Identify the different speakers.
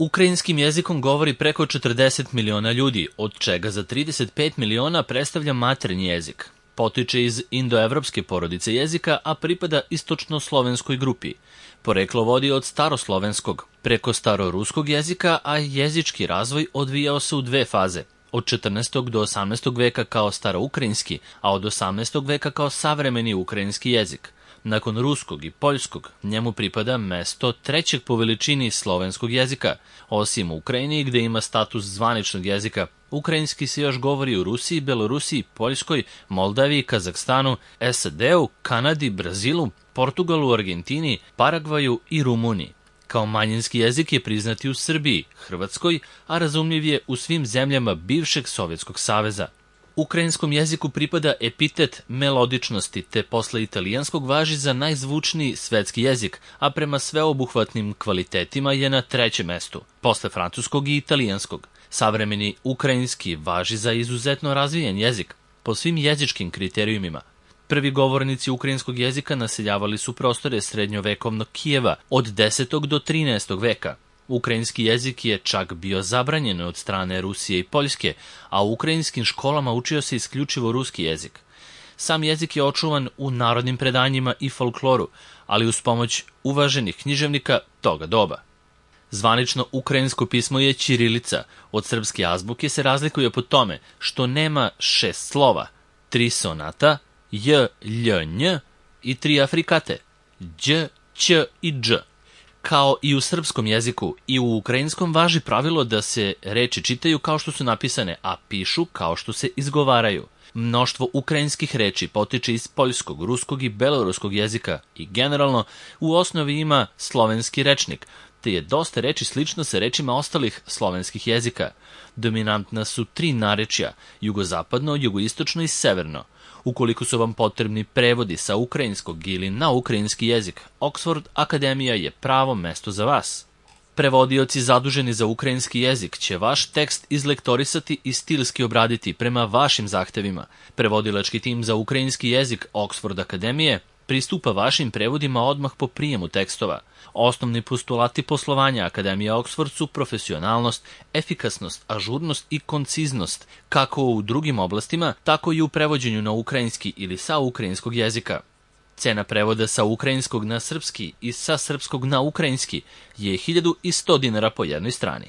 Speaker 1: Ukrajinskim jezikom govori preko 40 miliona ljudi, od čega za 35 miliona predstavlja maternji jezik. Potiče iz indoevropske porodice jezika, a pripada istočno-slovenskoj grupi. Poreklo vodi od staroslovenskog, preko staroruskog jezika, a jezički razvoj odvijao se u dve faze. Od 14. do 18. veka kao staroukrajinski, a od 18. veka kao savremeni ukrajinski jezik. Nakon ruskog i poljskog, njemu pripada mesto trećeg po veličini slovenskog jezika. Osim u Ukrajini, gde ima status zvaničnog jezika, ukrajinski se još govori u Rusiji, Belorusiji, Poljskoj, Moldaviji, Kazahstanu, SAD-u, Kanadi, Brazilu, Portugalu, Argentini, Paragvaju i Rumuniji. Kao manjinski jezik je priznat i u Srbiji, Hrvatskoj, a razumljiv je u svim zemljama bivšeg Sovjetskog saveza. Ukrajinskom jeziku pripada epitet melodičnosti, te posle italijanskog važi za najzvučniji svetski jezik, a prema sveobuhvatnim kvalitetima je na trećem mestu, posle francuskog i italijanskog. Savremeni ukrajinski važi za izuzetno razvijen jezik, po svim jezičkim kriterijumima. Prvi govornici ukrajinskog jezika naseljavali su prostore srednjovekovnog Kijeva od 10. do 13. veka. Ukrajinski jezik je čak bio zabranjen od strane Rusije i Poljske, a u ukrajinskim školama učio se isključivo ruski jezik. Sam jezik je očuvan u narodnim predanjima i folkloru, ali uz pomoć uvaženih književnika toga doba. Zvanično ukrajinsko pismo je ćirilica, od srpske azbuke se razlikuje po tome što nema 6 slova, 3 sonata, j, lj, nj i 3 afrikate, đ, ć i dž. Kao i u srpskom jeziku, i u ukrajinskom važi pravilo da se reči čitaju kao što su napisane, a pišu kao što se izgovaraju. Mnoštvo ukrajinskih reči potiče iz poljskog, ruskog i beloruskog jezika i generalno u osnovi ima slovenski rečnik, te je dosta reči slično sa rečima ostalih slovenskih jezika. Dominantna su 3 narečja, jugozapadno, jugoistočno i severno. Ukoliko su vam potrebni prevodi sa ukrajinskog ili na ukrajinski jezik, Oxford Akademija je pravo mesto za vas. Prevodioci zaduženi za ukrajinski jezik će vaš tekst izlektorisati i stilski obraditi prema vašim zahtevima. Prevodilački tim za ukrajinski jezik Oxford Akademije pristupa vašim prevodima odmah po prijemu tekstova. Osnovni postulati poslovanja Akademije Oxford su profesionalnost, efikasnost, ažurnost i konciznost, kako u drugim oblastima, tako i u prevođenju na ukrajinski ili sa ukrajinskog jezika. Cena prevoda sa ukrajinskog na srpski i sa srpskog na ukrajinski je 1100 dinara po jednoj strani.